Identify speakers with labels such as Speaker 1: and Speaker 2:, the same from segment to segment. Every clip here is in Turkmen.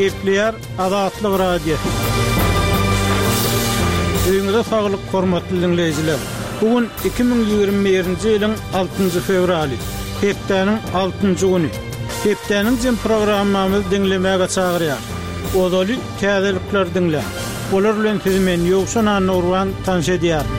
Speaker 1: Gepleýär Azatlyk Radiosy. Öýüňize saglyk hormatly diňleýjiler! Bu gün 2021-nji ýylyň altynjy fewraly, hepdäniň altynjy güni. Hepdäniň jem programmamyzy diňlemäge çagyrýar. Ozaly täzelikleri diňläň. Olar bilen sizi men Ýowşan Annagurban tanyş edýärin.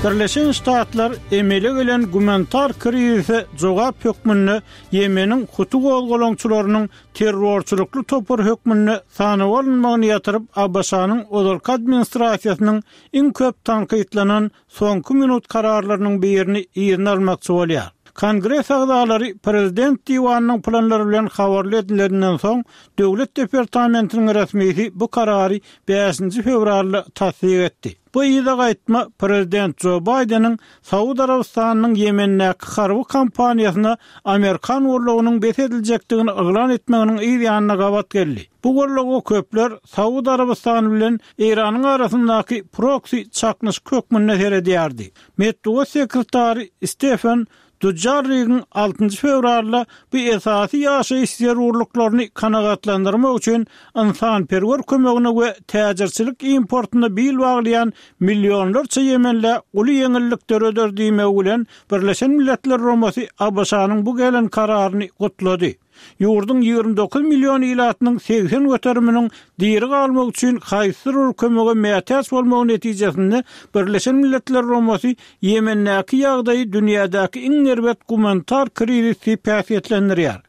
Speaker 1: Birleşen Ştatlar emele gelen gumanitar krizise jogap hökmünde Ýemeniň huti gozgalaňçylarynyň terrorçylykly topar hökmünde sanawa alynmagyny ýatyryp, ABŞ-nyň ozalky administrasiýasynyň iň köp tankytlanan soňky minut kararlarynyň birini yzyna almakçy bolýar. Kongres agzalary prezident diwanynyň planlary bilen habarly edileninden soň, Döwlet departamentiniň resmisi bu karary bäşinji fewralda tassyk etdi. Bu yza gaýtma prezident Jo Baýdeniň Saud Arabystanynyň Ýemendäki harby kampaniýasyna amerikan goldawynyň bes ediljekdigini yglan etmeginiň yz ýanyna gabat geldi. Bu goldawa köpler Saud Arabystany bilen Eýranyň arasyndaky proksi çaknyşyk hökmünde seredýärdi. Metbugat sekretary Stefen Dujarrigiň altynjy fewralda bu esasy ýaşaýyş zerurlyklaryny kanagatlandyrmak üçin ynsanperwer kömegine we täjirçilik importyna bil baglaýan millionlarça ýemenlä uly ýeňillik döreder diýmegi bilen Birleşen Milletler Guramasy ABŞ-nyň bu gelen kararyny gutlady. Ýurduň 29 million ilatynyň 80 göteriminiň diri galmak üçin haýsydyr bir kömege mätäç bolmagy netijesinde Birleşen Milletler Guramasy Ýemendäki ýagdaýy dünýädäki iň erbet gumanitar krizis diýip häsiýetlendirýär.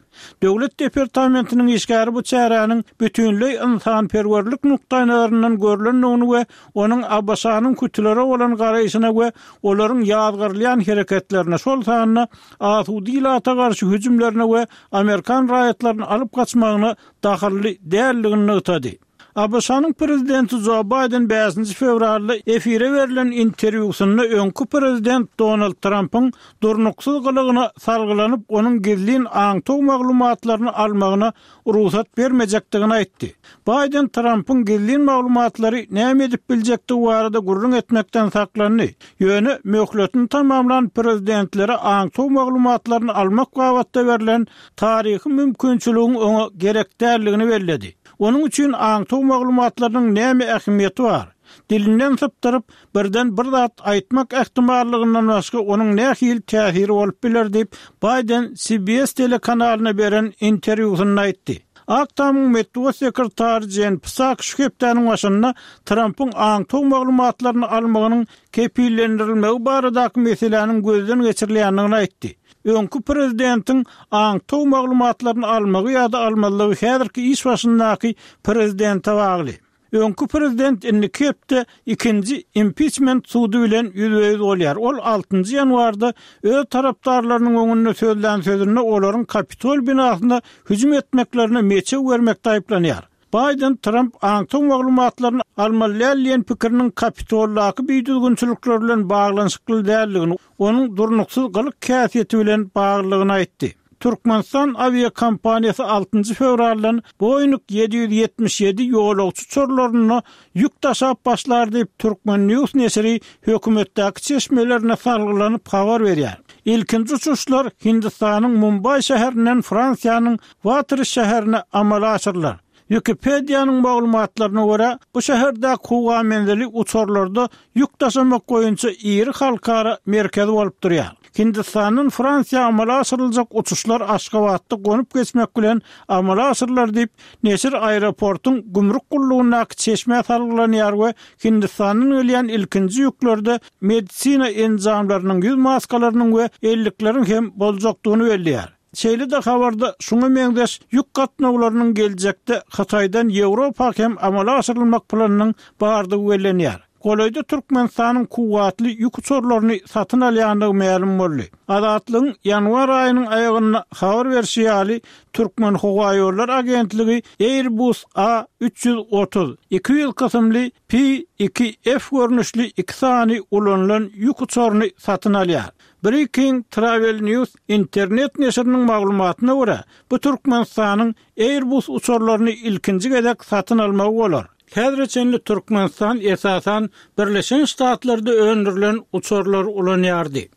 Speaker 1: Döwlet departamentiniň işgäri bu çäräniň bütinleý ynsanperwerlik nukdaýnazaryndan görlendigini we onuň ABŞ-nyň hutulere bolan garaýşyna we olaryň ýazgarylýan hereketlerine, şol sanda asuda ilata garşy hüjümlerine we amerikan raýatlaryny alyp gaçmagyna dahylly däldigini nygtady. ABŞ-nyň prezidenti Jo Baýden bäşinji fewralda efire berlen interwýusynda öňki prezident Donald Trampyň durnuksyz gylygyna salgylanyp, onuň gizlin aňtaw maglumatlaryny almagyna rugsat bermejekdigini aýtdy. Baýden Trampyň gizlin maglumatlary näme edip biljekdigi barada gürrüň etmekden saklandy. Ýöne möhletini tamamlan prezidentlere aňtaw maglumatlaryny almak babatda berlen taryhy mümkinçiligiň oňa gerek däldigini belledi. Onuň üçin aňtaw maglumatlarynyň näme ähmiýeti bar? Dilinden sypdyryp, birden bir zat aýtmak ähtimallygyndan başga onuň nähili täsiri bolup biler diýip, Baýden CBS telekanalyna beren interwýusynda aýtdy. Ak tamyň metbugat sekretary Jen Psak şu hepdäniň başynda Trampyň aňtaw maglumatlaryny almagynyň kepillendirilmegi baradaky meseläniň gözden geçirilýändigini aýtdy. Öňki prezidentiň aňtaw maglumatlaryny almagy ýa-da almazlygy häzirki iş başyndaky prezidente bagly. Öňki prezident indiki hepde ikinji impiçment sudy bilen ýüzbe-ýüz bolýar. Ol altynjy ýanwarda öz tarapdarlarynyň öňünde sözlän sözünde olaryň Kapitol binasyna hüjüm etmeklerine meçew bermekde aýyplanýar. Baýden Tramp aňtaw maglumatlaryny almaly däl diýen pikiriniň Kapitoldaky bidüzgünçilikler bilen baglanyşykly däldigini, onuň durnuksyz gylyk-häsiýeti bilen baglydygyny aýtdy. Türkmenistan awiakompaniýasy altynjy fewraldan Boeing 777 ýolagçy uçarlarynda ýük daşap başlar diýip, Turkmen. News neşiri hökümetdäki çeşmelerine salgylanyp habar berýär. Ilkinji uçuşlar Hindistanyň Mumbaý şäherinden Fransiýanyň Watris şäherine amala aşyrylar. Wikipediýanyň maglumatlaryna görä, bu şäherdäki howa menzili uçarlarda ýük daşamak boýunça iri halkara merkezi bolup durýar. Hindistandan Fransiýa amala aşyryljak uçuşlar Aşgabatda gonup geçmek bilen amala aşyrylar diýip, neşir aeroportuň gümrük gullugyndaky çeşmä salgylanýar we Hindistandan gelýän ilkinji ýüklerde medisina enjamlarynyň, ýüz maskalarynyň we ellikleriň hem boljakdygyny belleýär. Şeýle-de habarda şuňa meňzeş ýük gatnawlarynyň geljekde Hytaýdan Ýewropa hem amala aşyrylmak planynyň bardygy bellenýär. Golaýda Türkmenistanyň kuwwatly ýük uçarlaryny satyn alýandygy mälim boldy. Azatlygyň ýanwar aýynyň aýagynda habar berşi ýaly, Türkmenhowaýollary agentligi Airbus A 330, 200 kysymly P-2F görnüşli iki sany ulanylan ýük uçaryny satyn alýar. Breaking Travel News internet neşiriniň maglumatyna görä, bu Türkmenistanyň Airbus uçarlaryny ilkinji gezek satyn almagy bolar. Häzire çenli Türkmenistan esasan Birleşen Ştatlarda öndürilen uçarlary ulanýardy.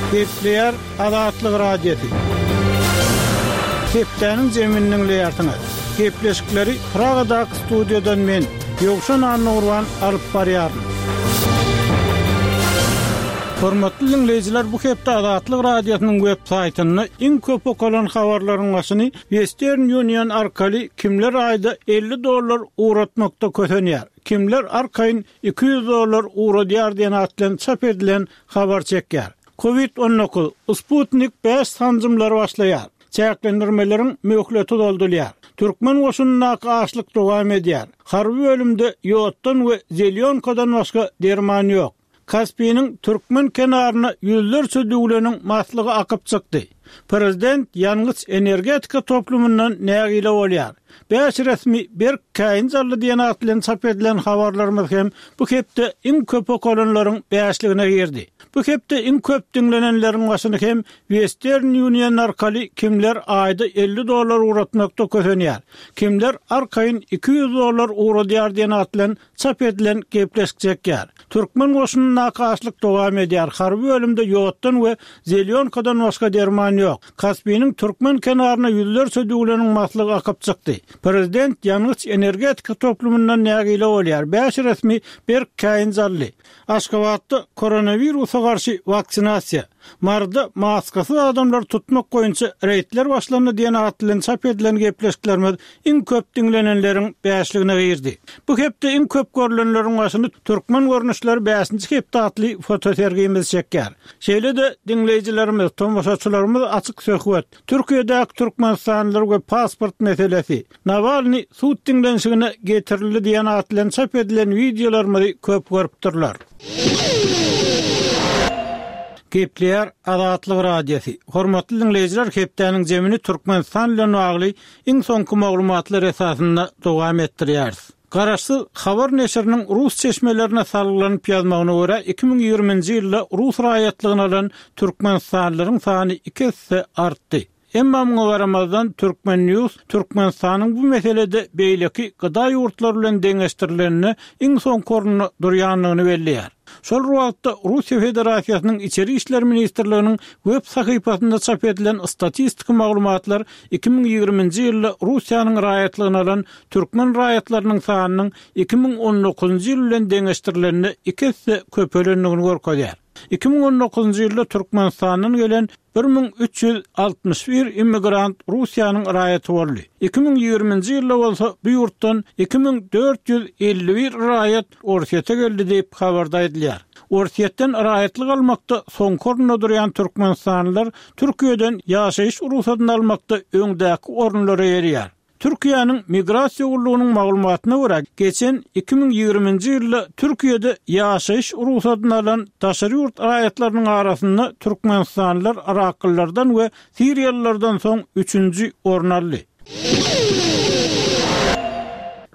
Speaker 1: Gepleýär Azatlyk Radiosy. Hepdäniň jemini diňleýärsiňiz. Gepleşikleri Pragadaky studiýadan men, Ýowşan Annagurban alyp barýaryn. Hormatly diňleýjiler, bu hepde Azatlyk Radiosynyň web saýtynda iň köp okalan habarlaryň başyny Western Union arkaly kimler aýda 50 dollar ugratmakda kösenýär, kimler arkaýyn 200 dollar ugradýar diýen at bilen çap edilen habar çekýär. Covid 19, Sputnik bäş sanjymlary başlaýar. Çäklendirmeleriň möhleti uzaldylýar. Türkmen goşunyndaky açlyk dowam edýär. Harby bölümde ýoddan we zelýonkadan başga derman ýok. Kaspiniň türkmen kenaryna ýüzlerçe düwleniň maslygy akyp çykdy. Prezident ýangyç-energetika toplumyndan nägile bolýar. Bäş resmi berk käýinç aldy diýen at bilen çap edilen habarlarymyz hem bu hepde iň köp okalanlaryň bäşligine girdi. Bu hepde iň köp diňlenenleriň başyny hem Western Union arkaly kimler aýda 50 dollar ugratmakda kösenýär, kimler arkaýyn 200 dollar ugradýar diýen at bilen çap edilen gepleşik çekýär. Türkmen goşunyndaky açlyk dowam edýär, harby bölümde ýoddan we zelýonkadan başga derman ýok. Kaspiniň türkmen kenaryna ýüzlerçe düwleniň maslygy akyp çykdy. Prezident ýangyç-energetika toplumyndan nägile bolýar, bäş resmi berk käýinç aldy. Aşgabatda koronawirusa garşy waksinasiýa, Maryda maskasyz adamlary tutmak boýunça reýdler başlandy diýen at bilen çap edilen gepleşiklerimiz iň köp diňlenenleriň bäşligine girdi. Bu hepde iň köp görlenleriň başyny Türkmen görnüşleri bäşinji hepde atly fotosergimiz çekýär. Şeýle-de diňleýjilerimiz, tomaşaçylarymyz açyk söhbet, Türkiýedäki türkmenistanlylar we pasport meselesi, Nawalnyý sud diňlenişigine getirildi diýen at bilen çap edilen wideolarymyzy köp görüpdirler. Gepleýär Azatlyk Radiosy. Hormatly diňleýjiler hepdäniň jemini Türkmenistan bilen bagly iň soňky maglumatlar esasynda dowam etdirýäris. Garaşsyz habar neşiriniň rus çeşmelerine salgylanyp ýazmagyna görä, 2020-nji ýylda rus raýatlygyny alan türkmenistanlylaryň sany iki esse artdy. Emma muňa garamazdan, Turkmen. News Türkmenistanyň bu meselede beýleki gda ýurtlary bilen deňeşdirilende iň soňky orunda durýandygyny belleýär. Şol bir wagtda, Russiýa Federasiýasynyň Içeri işler ministrliginiň web sahypasynda çap edilen statistiki maglumatlar 2020-nji ýylda Russiýanyň raýatlygyny alan türkmen raýatlarynyň sanynyň 2019-njy ýyl bilen deňeşdirilende iki esse köpelendigini görkezýär. 2019-njy ýylda Türkmenistandan gelen 1361 immigrant Russiýanyň raýaty boldy. 2020-nji ýylda bolsa bu ýurtdan 2451 raýat Orsýete geldi diýip, habarda aýdylýar. Orsýetden raýatlyk almakda soňky orunda durýan türkmenistanlylar Türkiýeden ýaşaýyş rugsadyny almakda öňdäki orunlary eýeleýär. Türkiýäniň Migrasiýa gullugynyň maglumatyna görä, geçen 2020-nji ýylda Türkiýede ýaşaýyş rugsadyny alan daşary ýurt raýatlarynyň arasynda türkmenistanlylar yraklylardan we siriýalylardan soň üçünji orny aldy.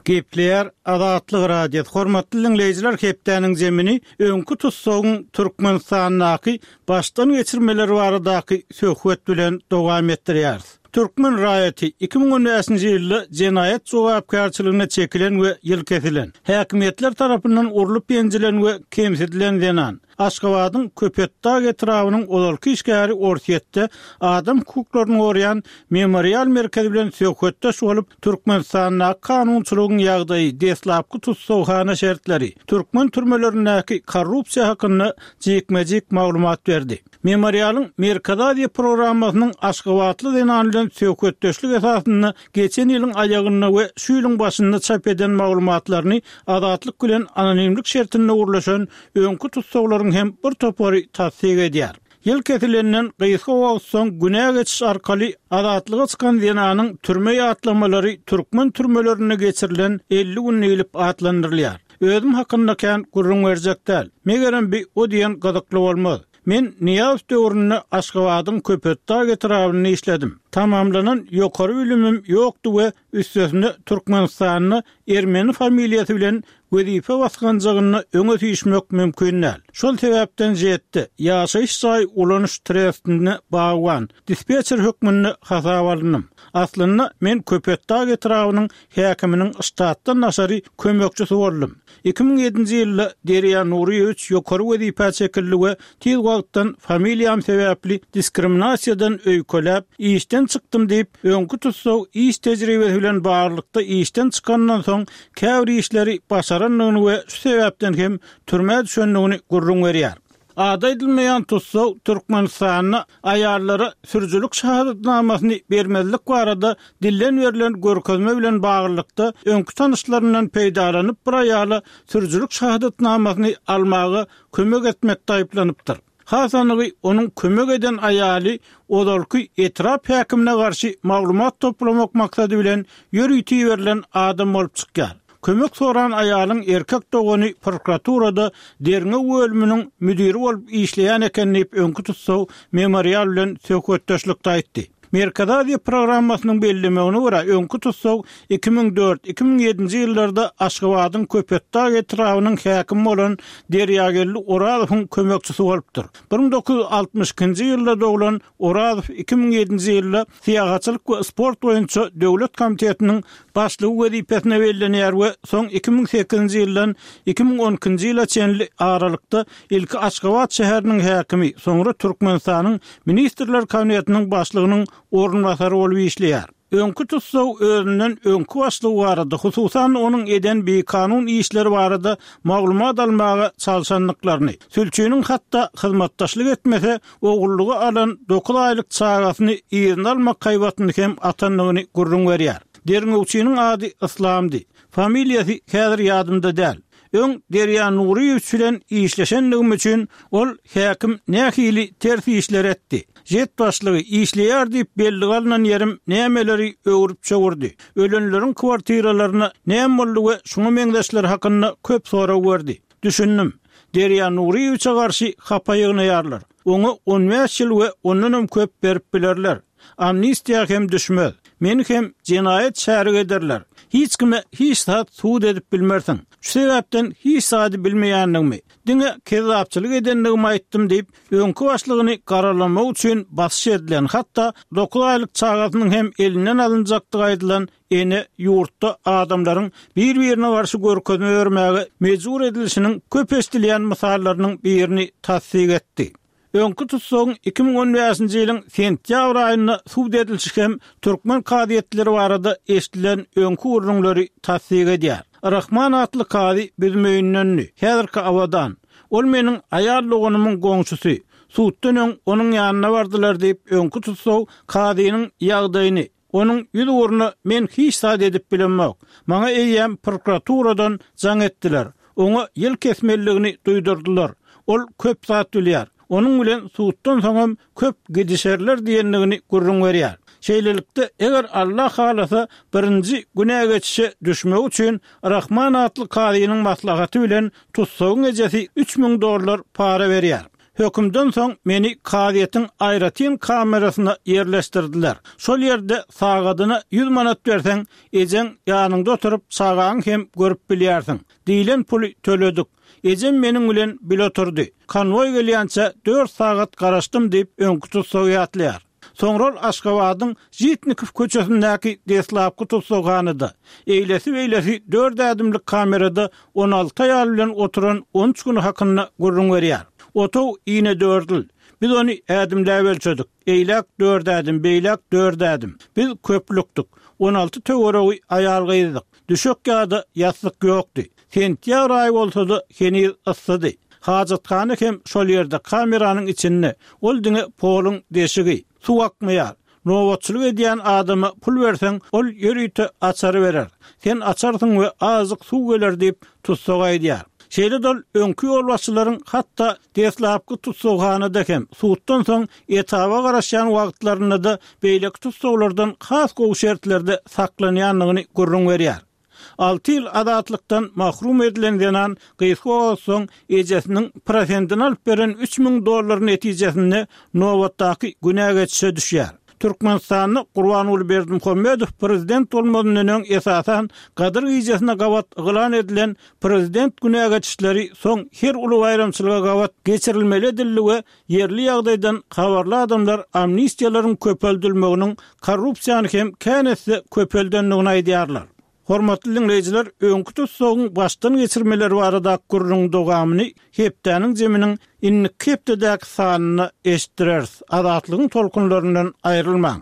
Speaker 1: Gepleýär Azatlyk Radiosy, Hormatly diňleýjiler, hepdäniň zemini öňki tussagyň Türkmenistandaky başdan geçirmeleri baradaky söhbet bilen dowam etdirýäris. Türkmen raýaty, 2015-nji ýylda jenaýat jogapkärçiligine çekilen we ýyl kesilen, häkimiýetler tarapyndan urlup-ýenjilen we kemsidilen zenan, Aşgabadyň Köpetdag etrabynyň ozalky işgäri Orsýetde adam hukuklaryny goraýan Memorial merkezi bilen söhbetdeş bolup, Türkmenistandaky kanunçylygyň ýagdaýy, deslapky tussaghana şertleri, türkmen türmelerindäki korrupsiýa hakynda jikme-jik maglumat berdi. Memorialyň Merkezi Aziýa programmasynyň aşgabatly zenan bilen söhbetdeşlik esasynda geçen ýylyň aýagynda we şu ýylyň başynda çap eden maglumatlaryny Azatlyk bilen anonimlik şertinde gürleşen öňki tussaglaryň hem bir topary tassyk edýär. Ýyl kesilenden gysga wagt soň günä geçiş arkaly azatlyga çykan zenanyň türme ýatlamalary türkmen türmelerinde geçirilen 50 gün diýlip atlandyrylýar. Özüm hakynda kän gürrüň berjek däl. Megerem bi o diýen gyzykly bolmaz. Men Nyýazow döwründe Aşgabadyň Köpetdag etrabynda işledim. Tamamlanan ýokary bilimim ýokdy we üstesine Türkmenistanda ermeni familiýasy bilen Wezipe basganjagynda öňe süýşmek mümkin däl. Şol sebäpden ŽET-de, ýaşaýyş jaý ulanyş trestinde bagban, dispetçer hökmünde hasaba alndym. Aslynda, men Köpetdag etrabynyň häkiminiň ştatdan daşary kömekçisi boldum. 2007-nji ýylda Derýa Nuryýewiç ýokary wezipä çekildi we tiz wagtdan familiýam sebäpli diskriminasiýadan öýkeläp, işden çykdym diýip, öňki tussag iş tejribesi bilen baglylykda işden çykandan soň käbir işleri başarandygyny we şu sebäpden hem türmä düşendigini gürrüň berýär. Ady aýdylmaýan tussag Türkmenistanda aýallara sürüjilik şahadatnamasyny bermezlik barada dilden berlen görkezme bilen baglylykda öňki tanyşlaryndan peýdalanyp bir aýala sürüjilik şahadatnamasyny almaga kömek etmekde aýyplanypdyr. Has anygy onuň kömek eden aýaly ozalky etrap häkimine garşy maglumat toplamak maksady bilen ýörite iberilen adam bolup çykýar. Kömek soran aýalyň erkek dogany prokuraturada derňew bölüminiň müdiri bolup işleýän eken diýip, öňki tussag Memorial bilen söhbetdeşlikde aýtdy. Merkezi Aziýa programmasynyň bellemegine görä, öňki tussag 2004, 2007-nji ýyllarda Aşgabadyň Köpetdag etrabynyň häkimi bolan Derýageldi Orazowyň kömekçisi bolupdyr. 1962-nji ýylda doglan Orazow 2007-nji ýylda Syýahatçylyk we sport boýunça döwlet komitetiniň başlygy wezipesine bellenýär we soň 2008-nji ýyldan 2012-nji ýyla çenli aralykda ilki Aşgabat şäheriniň häkimi, soňra Türkmenistanyň Ministrler Kabinetiniň başlygynyň orunbasary bolup işleýär. Öňki tussag özünden öňki başlygy barada, hususan-da onuň eden bikanun işleri barada maglumat almaga çalşandyklaryny, sülçiniň hatda hyzmatdaşlyk etmese, ogullyga alan dokuz aýlyk çagasyny yzyna almak haýbatyny hem atandygyny gürrüň berýär. Derňewçiniň ady Yslamdy. Familiýasy häzir ýadymda däl. Öň Derýa Nuryýewiç bilen işleşendigim üçin ol häkim nähili ters işler etdi. Jet başlygy işleýär diýip bellige alnan ýerim nämeleri öwrüp-çöwürdi. Ölenleriň kwartiralaryna näme boldy we şuňa meňzeşler hakynda köp sorag berdi. Düşündim. Derýa Nuryýewiçe garşy hapa ýygnaýarlar. Oňa on bäş ýyl we ondanam köp berip bilerler. Amnistiýa hem düşmez. Meni hem jenaýat şärigi ederler. Hiç kime hiç zat subut edip bilmersiň. Şu sebäpden hiç zady bilmeýändigimi, diňe kezzapçylyk edendigimi aýtdym diýip, öňki başlygyny garalamak üçin basyş edilen, hatda dokuz aýlyk çagasynyň hem elinden alynjakdygy aýdylan ene ýurtda adamlaryň bir-birine garşy görkezme bermäge mejbur edilişiniň köp eşidilýän mysallarynyň birini tassyk etdi. Öňki tussagyň 2015-nji ýylyň sentýabr aýynda sud edilişi hem türkmen kazyýetleri barada eşidilen öňki gürrüňleri tassyk edýär. Rahman atly kazy Büzmeýindendi, häzirki Abadan. Ol meniň aýal doganymyň goňşusy. Suddan öň onuň ýanyna bardylar diýip, öňki tussag kazynyň ýagdaýyny, Onuň ýüz ugruna men hiç zat edip bilemok. Maňa eýýäm prokuraturadan jaň etdiler. Oňa ýyl kesmelidigini duýdurdylar. Ol köp zat bilýär. Onuň bilen suddan soňam köp gidişerler diýendigini gürrüň berýär. Şeýlelikde, eger Alla halasa, birinji günä geçişe düşmegi üçin Rahman atly kazynyň maslahaty bilen tussagyň ejesi 3000 dollar para berýär. Hökümden soň meni kazyýetiň aýratyn kamerasyna ýerleşdirdiler. Şol ýerde sagadyna ýüz manat berseň, ejeň ýanyňda oturyp çagaňy hem görüp bilýärsiň. Diýlen puly töledik. Ejem meniň bilen bile oturdy. Konwoý gelýänçä dört sagat garaşdym diýip, öňki tussag ýatlaýar. Soňra ol Aşgabadyň Žitnikow köçesindäki deslapky tussaghanada, eýlesi-beýlesi dört ädimlik kamerada 16 aýal bilen oturan on üç güni hakynda gürrüň berýär. Otag inedördül. Biz ony ädimläp ölçedik. Eýläk dört ädim, beýläk dört ädim. Biz köplükdik. 16 töweregi aýal-gyzdyk. Düşek ýa-da ýassyk ýokdy. Sentýabr aýy bolsa-da, heniz yssydy. Hajathana hem şol ýerde, kameranyň içinde. Ol diňe poluň deşigi. Suw akmaýar. Nobatçylyk edýän adama pul berseň, ol ýörite açary berer. Sen açarsyň we azajyk suw geler diýip, tussag aýdýar. Şeýle-de ol öňki ýolbaşçylaryň hatda deslapky tussaghanada hem, suddan soň etaba garaşýan wagtlarynda-da beýleki tussaglardan has gowy şertlerde saklanýandygyny gürrüň berýär. Alty ýyl azatlykdan mahrum edilen zenan gysga wagt soň ejesiniň prosentini alyp beren 3000 dollar netijesinde nobatdaky günä geçişe düşýär. Türkmenistanda Gurbanguly Berdimuhamedow prezident bolmazyndan öň esasan Gadyr gijesine gabat yglan edilen prezident günä geçişleri soň her uly baýramçylyga gabat geçirilmeli edildi we ýerli ýagdaýdan habarly adamlar amnistiýalaryň köpeldilmeginiň korrupsiýany hem kän esse köpeldendigini aýdýarlar. Hormatly diňleýjiler, öňki tussagyň başdan geçirmeleri baradaky gürrüňiň dowamyny hepdäniň jeminiň indiki hepdedäki sanynda eşitdireris. Azatlygyň tolkunlaryndan aýrylmaň!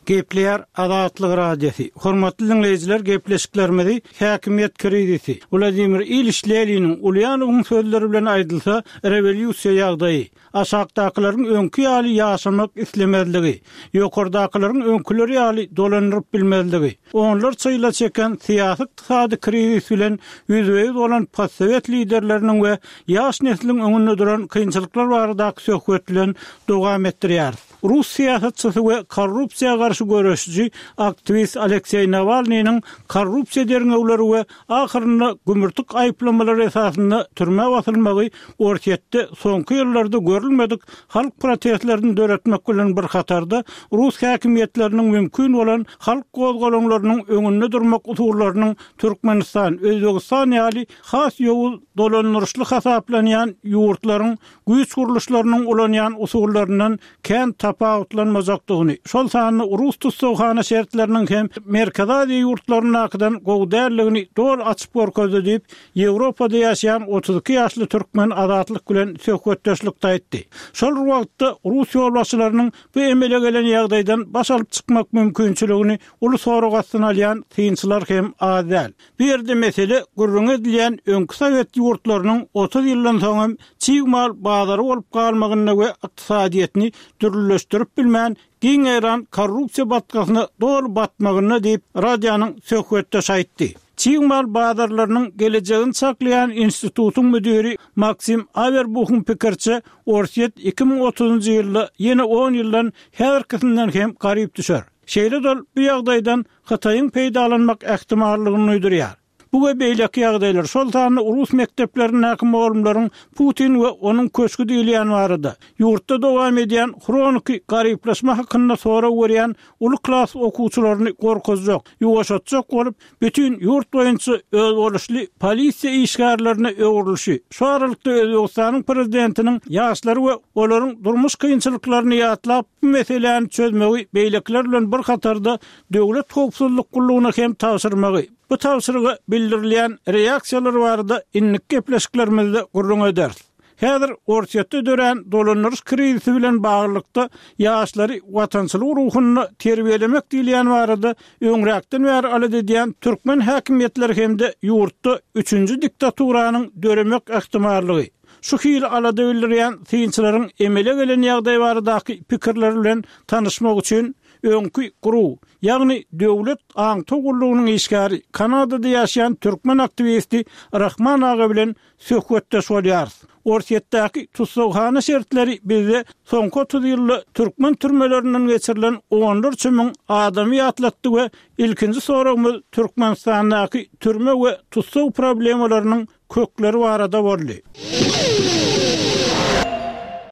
Speaker 1: Gepleýär Azatlyk Radiosy. Hormatly diňleýjiler, gepleşiklerimizi häkimiýet krizisi, Wladimir Iliç Leniniň, Ulýanowyň sözleri bilen aýdylsa, rewolýusiýa ýagdaýy, Aşakdakylaryň öňki ýaly ýaşamak islemezligi, ýokardakylaryň öňküleri ýaly dolandyryp bilmezligi, onlarça ýyla çeken syýasy-ykdysady krizis bilen ýüzbe-ýüz bolan postsowet liderleriniň we ýaş nesliň öňünde duran kynçylyklar baradaky söhbet bilen dowam etdirýäris. Rus syýasatçysy we korrupsiýa garşy göreşiji aktiwist Alekseý Nawalnynyň korrupsiýa derňewleri we ahyrynda gümürtik aýyplamalary esasynda türmä basylmagy Orsýetde soňky ýyllarda görülmedik halk protestlerini döretmek bilen bir hatarda, rus häkimiýetleriniň mümkin bolan halk gozgalaňlarynyň öňünde durmak usullarynyň Türkmenistan, Özbegistan ýaly has ýowuz dolandyryşly hasaplanýan ýurtlaryň güýç gurluşlarynyň ulanýan usullaryndan kän tapawutlanmajakdygyny, şol sanda rus tussaghana şertleriniň hem Merkezi Aziýa ýurtlaryndakydan gowy däldigini doly açyp görkezdi diýip, Ýewropada ýaşaýan 32 ýaşly türkmen Azatlyk bilen söhbetdeşlikde aýtdy. Şol bir wagtda, rus ýolbaşçylarynyň bu emele gelen ýagdaýdan baş alyp çykmak mümkinçiligini uly sorag astyna alýan synçylar hem az däl. Bu ýerde mesele gürrüňi edilýän öňki sowet ýurtlarynyň 30 ýyldan soň hem çig mal bazary bolup galmagynda we ykdysadyýetini dürlüleşdirip bilmän giň ýaýran korrupsiýa batgasyna doly batmagynda diýip, radionyň söhbetdeşi aýtdy. Çig mal bazarlarynyň gelejegini çaklaýan institutyň müdiri Maksim Awerbuhyň pikiriçe, Orsýet 2030-njy ýylda ýene on ýyldan häzirkisinden hem garyp düşer. Şeýle-de ol bu ýagdaýdan Hytaýyň peýdalanmak ähtimallygyny duýdurýar. Bu we beýleki ýagdaýlar, şol sanda rus mekdeplerindäki mugallymlaryň Putin we onuň köşgi diýilýän barada, ýurtda dowam edýän hroniki garyplaşma hakynda sorag berýän uly klas okuwçylaryny gorkuzjak, ýuwaşatjak bolup, bütin ýurt boýunça özboluşly polisiýa işgärlerine öwrülişi, şu aralykda Özbegistanyň prezidentiniň ýaşlary we olaryň durmuş kynçylyklaryny ýatlap, bu meseläni çözmegi beýlekiler bilen bir hatarda Döwlet howpsuzlyk gullugyna hem tabşyrmagy, bu tabşyryga bildirilýän reaksiýalar barada indiki gepleşiklerimizde gürrüň ederis. Häzir Orsýetde dörän dolandyryş krizisi bilen baglylykda ýaşlary watançylyk ruhunda terbiýelemek diýilýän barada öňräkden bäri alada edýän türkmen häkimiýetleri hem-de ýurtda üçünji diktaturanyň döremek ähtimallygy, Şu hili alada bildirýän synçylaryň emele gelen ýagdaý baradaky pikirleri bilen tanyşmak üçin öňki GRU, ýagny Döwlet aňtaw gullugynyň işgäri, Kanadada ýaşaýan türkmen aktiwisti Rahman aga bilen söhbetdeş bolýarys. Orsýetdäki tussaghana şertleri bizde soňky 30 ýylda türkmen türmelerinden geçirilen onlarça müň adamy ýatlatdy we ilkinji soragymyz Türkmenistandaky türme we tussag problemalarynyň kökleri barada boldy.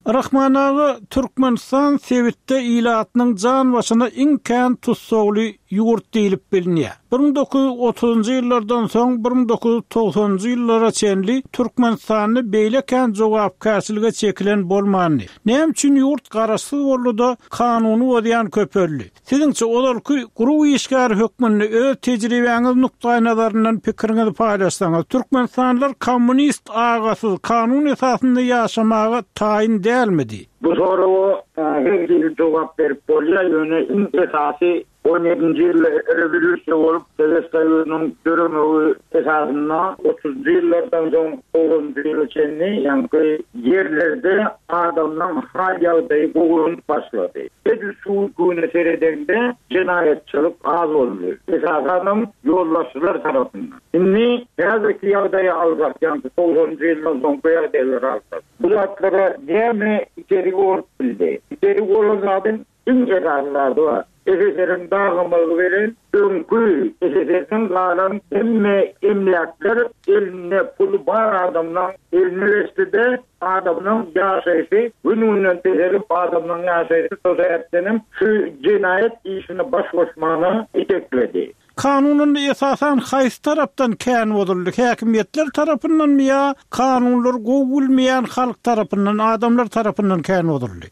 Speaker 1: Rahman aga, Türkmenistan sebitde ilatynyň jan başyna iň kän tussagly ýurt diýlip bilinýär. 1930-njy ýyllardan soň 1990-njy ýyllara çenli Türkmenistanda beýle kän jogapkärçilige çekilen bolmandy. Näme üçin ýurt garaşsyz boldy-da, kanuny bozýan köpeldi? Siziňçe, ozalky GRU işgäri hökmünde öz tejribäňiz nukdaýnazaryndan pikiriňizi paýlaşsaňyz, türkmenistanlylar kommunist agasyz kanun esasynda ýaşamaga taýyn dälmidi?
Speaker 2: Bu soraga her hili jogap berip bolýar, ýöne iň esasy on ýedinji ýylda rewolýusiýa bolup, Sowet Soýuzynyň döremegi esasynda otuzynjy ýyllardan soň togsanynjy ýyla çenli ýaňky ýerlerde adamlaň hal-ýagdaýy gowulanyp başlady. Edil şu güne seredeňde jenaýatçylyk az boldy. Esasanam ýolbaşçylar tarapyndan. Indi häzirki ýagdaýy alsak, ýagny togsanynjy ýyldan soňky ýagdaýlary alsak. Bu zatlara näme itergi bolup bildi? Itergi bolan zadyň. Iň esasy zady bar. SSR-iň dagamagy bilen öňki SSR-den galan hemme emläkler elinde puly bar adamlaň eline geçdi-de, adamlaň ýaşaýşy gün-günden peselip, adamlaň ýaşaýşy şo sebäpdenem şu jenaýat işine baş goşmagyna itekledi.
Speaker 1: Kanun indi esasan haýsy tarapdan kän bozuldy, häkimiýetler tarapyndanmy ýa kanunlary gowy bilmeýän halk tarapyndan, adamlar tarapyndan kän bozuldy?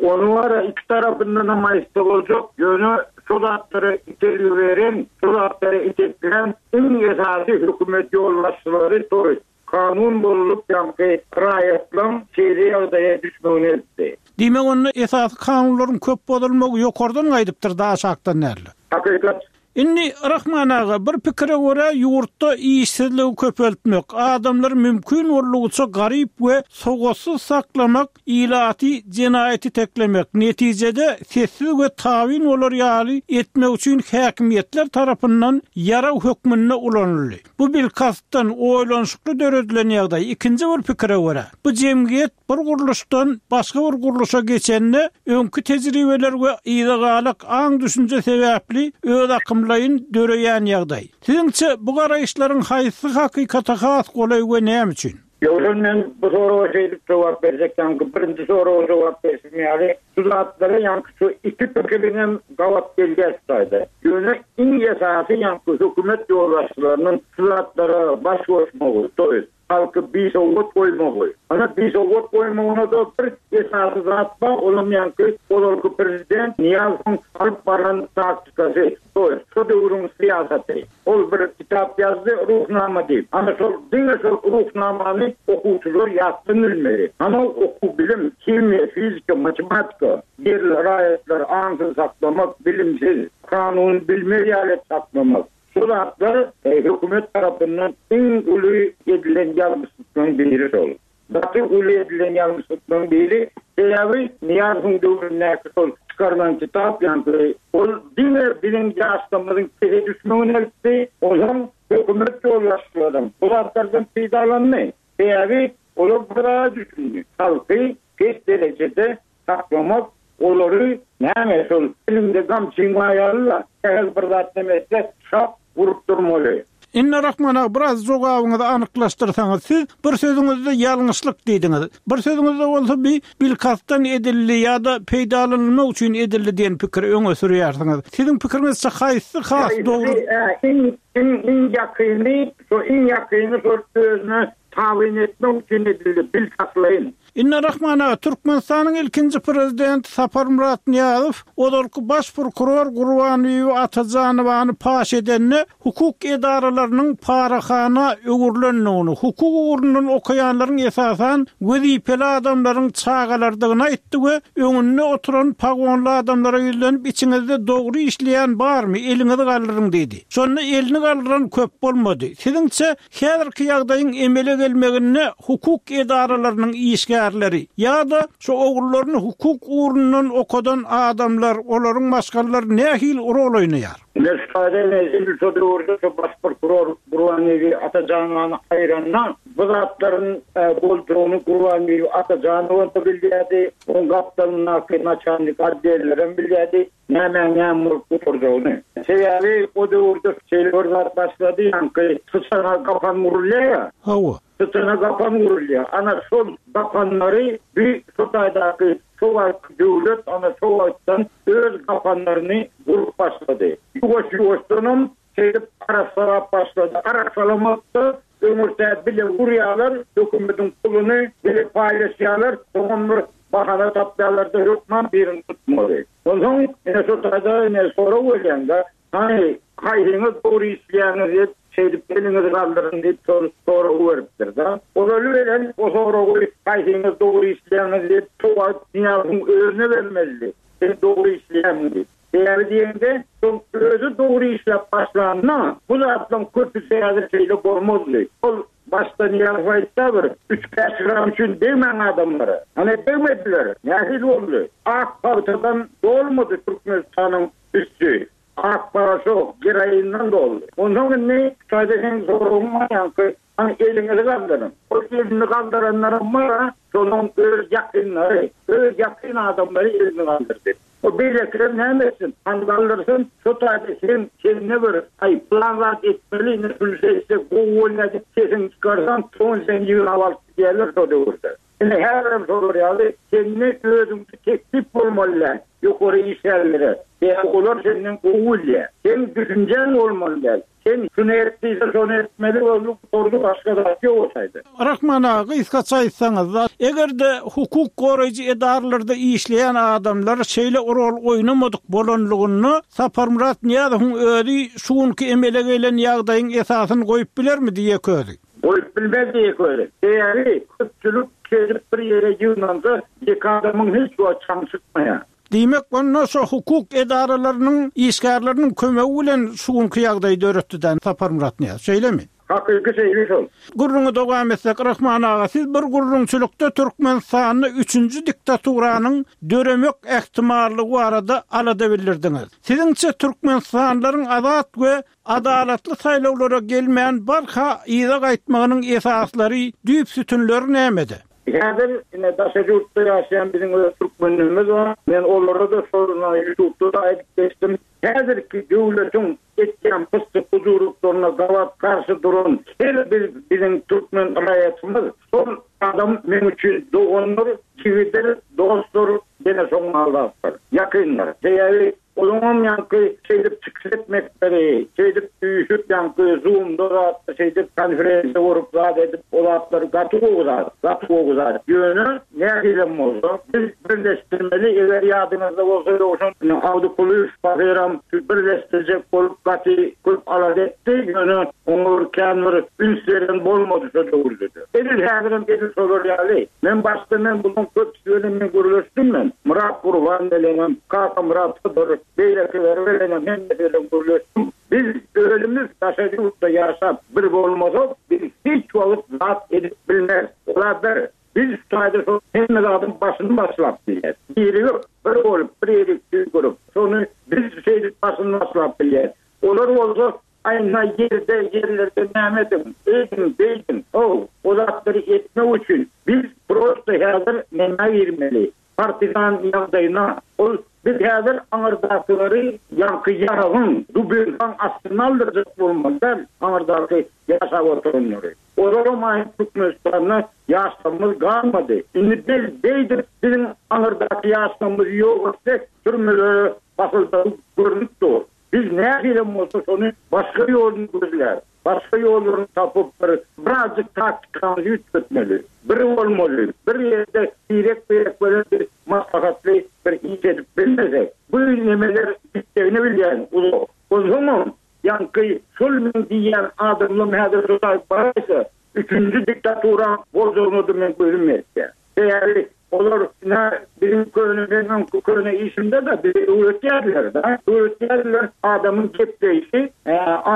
Speaker 2: Ony bar-a iki tarapyndanam aýtsa boljak, ýöne şo zatlara itergi beren, şo zatlara iteklän iň esasy hökümet ýolbaşçylary toý. Kanun bozulyp ýaňky raýatlaň şeýle ýagdaýa düşmegine eltdi.
Speaker 1: Diýmek onda esasy kanunlaryň köp bozulmagy ýokardan gaýdypdyr-da aşakdan dälde.
Speaker 2: Hakykat.
Speaker 1: Indi Rahman aga bir pikire görä ýurtda işsizligi köpeltmek, adamlary mümkin boldugyça garyp we sowatsyz saklamak ilaty jenaýat iteklemek, netijede sessiz we tabyn bolar ýaly etmek üçin häkimiýetler tarapyndan ýarag hökmünde ulanyldy. Bu bilkastdan, oýlanyşykly döredilen ýagdaý. Ikinji bir pikire görä, bu jemgyýet bir gurluşdan başga bir gurluşa geçende, öňki tejribeler we yzagalak aň-düşünje sebäpli özakymlaýyn döreýän ýagdaý. Siziňçe, bu garaýyşlaryň haýsysy hakykata has golaý we näme üçin?
Speaker 2: Ýogsam men bu soraga şeýdip jogap berjek, ýaňky birinji soraga jogap berşim ýaly, şu zatlara ýaňky şu iki pikiriňem gabat gelýär şu taýda. Ýöne iň esasy ýaňky hökümet ýolbaşçylarynyň şu zatlara baş goşmagy, to ýest, halky bisowat goýmagy. Ana bisowat goýmagyna-da bir esasy zat bar, olam ýaňky ozalky prezident Nyýazowyň alyp baran taktikasy, to ýest, şo döwrüň syýasaty. Ol bir kitap ýazdy, Ruhnama diýip. Ana şol, diňe şol Ruhnamany okuwçylar ýatdan bilmeli. Ana okuw bilim, himiýa, fizika, matematika, ýerli raýatlary aňsyz saklamak, bilimsiz, kanuny bilmez ýaly edip saklamak. Şu zatlar hökümet tarapyndan iň uly edilen ýalňyşlyklaryň biri şol. Gaty uly edilen ýalňyşlyklaryň biri, sebäbi Nyýazowyň döwründäki şol çykarylan kitap ýaňky ol diňe biziň ýaşlarymyzyň pese düşmegine eltdi, onsoň hökümet ýolbaşçylaram bu zatlardan peýdalandy. Sebäbi olar bir zada düşündi, halky pes derejede saklamak, olary näme şol eliňde gamçyň bar ýaly-la, sähel bir zat neme etse şap urup durmaly.
Speaker 1: Indi Rahman aga biraz jogabyňyzy anyklaşdyrsaňyz, siz bir sözüňizde ýalňyşlyk diýdiňiz, bir sözüňizde bolsa bi bilkastdan edildi ýa-da peýdalanylmak üçin edildi diýen pikiri öňe sürýärsiňiz. Siziň pikiriňizçe haýsysy has dogry?
Speaker 2: Iň iň iň ýakyny şo iň ýakyny şol özüne tabyn etmek üçin edildi bilkastlaýyn.
Speaker 1: Indi Rahman aga, Türkmenistanyň ilkinji prezidenti Saparmyrat Nyýazow ozalky baş prokuror Gurbanbibi Atajanowany paş edende, hukuk edaralarynyň parahana öwrülendigini, hukuk ugrundan okaýanlaryň esasan wezipeli adamlaryň çagalarydygyny aýtdy we öňünde oturan pagonly adamlara ýüzlenip içiňizde dogry işleýän barmy, eliňizi galdyryň diýdi. Şonda elini galdyran köp bolmady. Siziňçe, Häzirki ýagdaýyň emele gelmeginde hukuk edaralarynyň işgärleri ýa-da şu ogullaryny hukuk ugrundan okadan adamlar, olaryň maşgalalary nähili rol oýnaýar?
Speaker 2: Meşhada edil şo döwürde şo baş prokuror Gurbanbibi Atajanowany aýyranda bu zatlaryň boljagyny Gurbanbibi Atajanowam-da bilýärdi, oň gapdalyndaky naçalnik otdellerem bilýärdi. Nämäň näme bolup gutarjagyny. Sebäbi o döwürde şeýle bir zat başlady, ýaňky syçana gapan urulýar-a.
Speaker 1: Hawa.
Speaker 2: Syçana gapan urulýar. Ana şol gapanlary bi şo taýdaky şo wagtky döwlet ana şo wagtdan öz gapanlaryny gurup başlady. Ýuwaş-ýuwaşdanam şeýdip arassalap başlady. Arassalamakda öňürtä bile urýarlar, hökümetiň puluny bile paýlaşýarlar, soňam bir bahana tapýarlar-da hökman birini tutmaly. Onsoň ine şo taýda ine sorag berýäň-de, hany haýsyňyz dogry işleýäňiz diýip, şeýdip eliňizi galdyryň diýip şol soragy beripdir-de. Ozaly bilen o soragy haýsyňyz dogry işleýäňiz diýip şo wagt Nyýazowyň özüne bermelidi. Sen dogry işleýäňmi diýip. Sebäbi diýende, şol özi dogry işläp başlanda, bu zatlaryň köpüsi häzir şeýle bolmazdy. Ol başda Nyýazow aýtsa bir, üç-bäş gram üçin degmäň adamlara. Ana degmediler. Nähili boldy? Ak pagtadan dolmady Türkmenistanyň üsti. Ak paraşok, geroinden doldy. Onsoň indi şaýda seň soragyň bar ýaňky, hany eliňizi galdyryň. Ol elini galdyranlaram bar-a, şolaň öz ýakynlary, öz ýakyn adamlary elini galdyrdy. O beýlekiler näme etsin? Hany galdyrsyn, şo taýda sen sende bir, aý, pylan zat etmeli, ine şuny şeýtsek gowy bolýar diýip sesiňi çykarsaň, soň seni ýygnap alyp gidýärler şo döwürde. Ine häzirem şolar ýaly, sende özüňki teklip bolmaly däl ýokary işgärlere. Sebäbi olar senden gowy bilýär. Seň düşünjäň bolmaly däl. Sen şuny et diýse şony etmeli boldy gutardy başga zat ýok o taýda.
Speaker 1: Rahman aga gysgaça aýtsaňyzda egerde hukuk goraýjy edaralarda işleýän adamlar şeýle rol oýnamadyk bolanlygynda Saparmyrat Nyýazowyň özi şu günki emele gelen ýagdaýyň esasyny goýup bilermidi ýeke özi?
Speaker 2: Goýup bilmezdi ýeke özi. Sebäbi köpçülik şeýdip bir ýere ýygnansa ýeke adamyň hiç wagt çaňy çykmaýar.
Speaker 1: Diýmek, onda şo hukuk edaralarynyň işgärleriniň kömegi bilen şu günki ýagdaýy döretdi-dä Saparmyrat Nyýazow, şeýlemi?
Speaker 2: Hakyky şeýle şol.
Speaker 1: Gürrüňi dowam etsek, Rahman aga, siz bir gürrüňçilikde Türkmenistanda üçünji diktaturanyň döremek ähtimallygy barada alada bildirdiňiz. Siziňçe, türkmenistanlylaryň azat we adalatly saýlawlara gelmän barha yza gaýtmagynyň esaslary, düýp sütünleri nämede?
Speaker 2: Häzir ine daşary ýurtda ýaşaýan biziň öz türkmenlerimiz bar. Men olara-da şol ýutubda-da aýdyp geçdim. Häzirki döwletiň etýän pyssy-pujurlyklaryna gabat garşy duran her bir biziň türkmen raýatymyz şol adam meň üçin dogandyr, jigidir, dostdur, ýene şoň ýaly zatlar. Ýakyndyr. Sebäbi Olaňam ýaňky şeýdip çykyş etmekleri, şeýdip üýşüp ýaňky zoomda zatda şeýdip konferensiýa gurup zat edip o zatlar gaty gowy zat, gaty gowy zat. Ýöne nähilem bolsa biz birleşdirmeli eger ýadyňyzda bolsa Ýowşan Awdy Kulyýew pahyram şu birleşdirjek bolup gaty köp alada etdi ýöne oňa bir kän bir üns beren bolmady şo döwürdede. Edil häzirem edil şolar ýaly. Men başda men bulaň köp Ýöne men gürleşdim men. Myrat Gurban bilenem, Kakamyrat Hydyr, beýlekileri bilenem hemmesi bilen gürleşdim. Biz özümiz daşary ýurtda ýaşap bir bolmasak, biz hiç wagt zat edip bilmeris. Ola bir, biz şu taýda şol hemme zadyň başyny başlap bilýäs. Birigip, bir bolup, bir ýerik tüýkürip, şony biz şeýdip başyny başlap bilýäs. Olar bolsa Aýna ýerde, ýerlerde näme ediň, eýdiň, beýdiň, how, o zatlary etmek üçin biz prosto häzir nämä girmeli, partizan ýagdaýyna, ol biz häzir aňyrdakylary ýaňky ýaragyň, dubinkaň astyna aldyrjak bolmaly däl, aňyrdaky ýaşap oturanlary. Olaram aýyp Türkmenistanda ýaşlarymyz galmady. Indi biz beýdip biziň aňyrdaky ýaşlarymyzy ýok etsek, türmelere basyljagy görnüp dur. Biz nähilem bolsa şony başga ýoluny gözläp, başga ýollaryny tapyp bir birazjyk taktikamyzy üýtgetmeli. Bir bolmaly, bir ýerde birek-birek bilen bir maslahatly bir iş edip bilmesek, bu nemeler gitjegini bilýän uzak. Onsoňam ýaňky şol meň diýýän adamlam häzir şo taýy baraýsa, Üçünji diktatura boljagyna-da meň gözüm ýetýär. Sebäbi olar ine biziň köne men öňki köne işimde-de bize öwretýärdiler-de. Öwretýärdiler adamyň gepleýşi,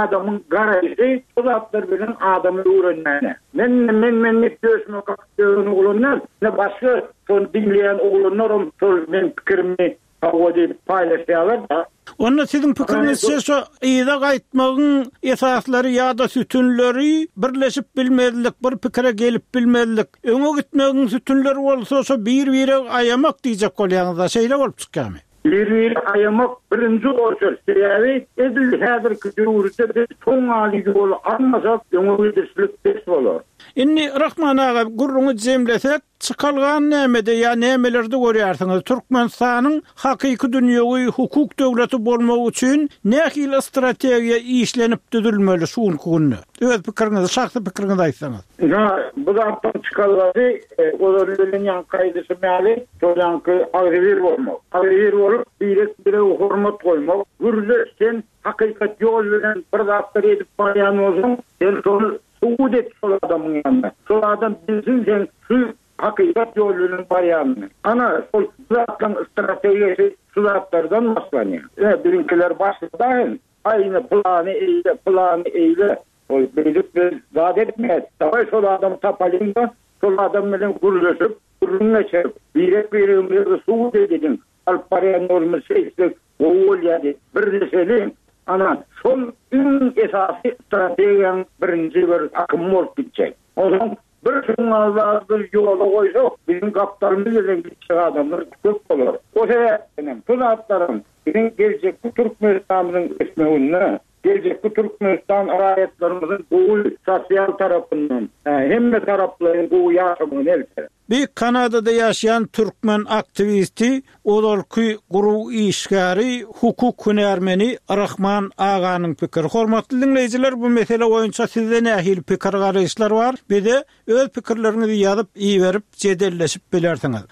Speaker 2: adamyň garaýşy şu zatlar bilen adamy öwrenmäne. Men men men diýip döşüme kakyp ýören oglan däl. Ine başga şony diňleýän oglanlaram şol meň pikirimi Hawa diýip paýlaşýarlar-da.
Speaker 1: Onda siziň pikiriňizçe şo yza gaýtmagyň esaslary ýa-da sütünleri birleşip bilmezlik, bir pikire gelip bilmezlik, öňe gitmegiň sütünleri bolsa şo bir-biregi aýamak diýjek bolýaňyz-da, şeýle bolup çykýarmy?
Speaker 2: Bir-biregi aýamak birinji oçert. Sebäbi edil häzirki döwürde biz soňňaly ýoly almasak, öňe gidişlik pes bolar.
Speaker 1: Indi Rahman aga gürrüňi jemlesek, Çykalgany nämede ýa nämelerde görýärsiňiz? Türkmenistanyň hakyky dünýewi hukuk döwleti bolmagy üçin nähili strategiýa işlenip düzülmeli şu günki günde? Öz pikiriňizi, şahsy pikiriňizi aýtsaňyz.
Speaker 2: Ynha, bu zatdan çykalgasy, ozaly bilen ýaňky aýdyşym ýaly, şol ýaňky agzybir bolmak. Agzybir bolup, birek-birege hormat goýmak. Gürleş, sen hakykat ýol bilen bir zatlar edip barýan bolsaň, sen şony Subut et şol adamyň ýanynda. Şol adam bilsin seň şu hakykat ýoly bilen barýanyňy. Ana, şol bu zatlaryň strategiýasy şu zatlardan başlanýar. Ine, biziňkiler başlady hem. Aý, ine, pylany eýle, pylany eýle. Ol beýdip biz zat etmeýäs. Dawaý şol adamy tapalyň-da, şol adam bilen gürleşip, gürrüň geçirip, birek-biregimize subut edeliň. Alyp barýan ýolumyz şeýtsek gowy bolýar diýip, birleşeliň. Ana, şol iň esasy strategiýaň birinji bir akymy bolup gitjek. Onsoň bir şuňňal zady biz ýola goýsak, biziň gapdalymyz bilen gitjek adamlar köp bolar. O sebäpden hem şu zatlaryň biziň geljekki Türkmenistanymyzyň ösmeginde, geljekki Türkmenistan raýatlarymyzyň gowy sosial tarapyndan, hemme taraplaýyn gowy ýaşamagyna elter.
Speaker 1: Bir Kanadada ýaşaýan türkmen aktiwisti, ozalky GRU işgäri, hukuk hünärmeni Rahman aganyň pikiri. Hormatly diňleýjiler, bu mesele boýunça sizde nähili pikir-garaýyşlar bar? Bize öz pikirleriňizi ýazyp iberip, jedelleşip bilersiňiz.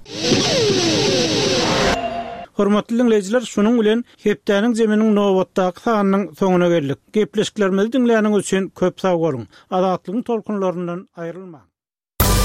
Speaker 1: Hormatly diňleýjiler, şunuň bilen Hepdäniň zeminiň nobatdaky sanynyň soňuna geldik. Gepleşiklerimizi diňläniňiz üçin köp sag boluň! Azatlygyň tolkunlaryndan aýrylmaň!